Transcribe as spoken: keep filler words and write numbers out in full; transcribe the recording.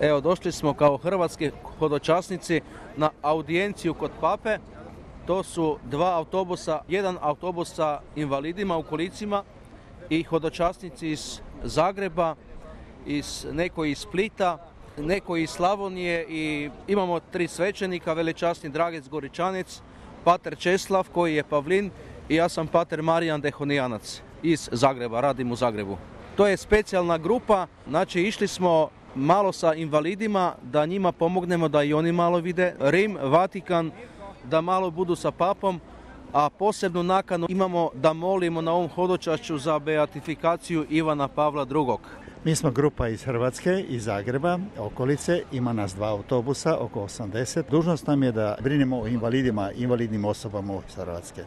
Evo, došli smo kao hrvatski hodočasnici na audijenciju kod Pape. To su dva autobusa, jedan autobus sa invalidima u kolicima i hodočasnici iz Zagreba, iz, neko iz Splita, neko iz Slavonije i imamo tri svećenika, velečasni Dragec Goričanec, pater Česlav koji je Pavlin i ja sam pater Marijan Dehonijanac iz Zagreba, radim u Zagrebu. To je specijalna grupa, znači išli smo malo sa invalidima da njima pomognemo da i oni malo vide Rim, Vatikan, da malo budu sa papom, a posebnu nakanu imamo da molimo na ovom hodočašću za beatifikaciju Ivana Pavla drugog. Mi smo grupa iz Hrvatske, iz Zagreba, okolice, ima nas dva autobusa, oko osamdeset. Dužnost nam je da brinemo o invalidima, invalidnim osobama iz Hrvatske.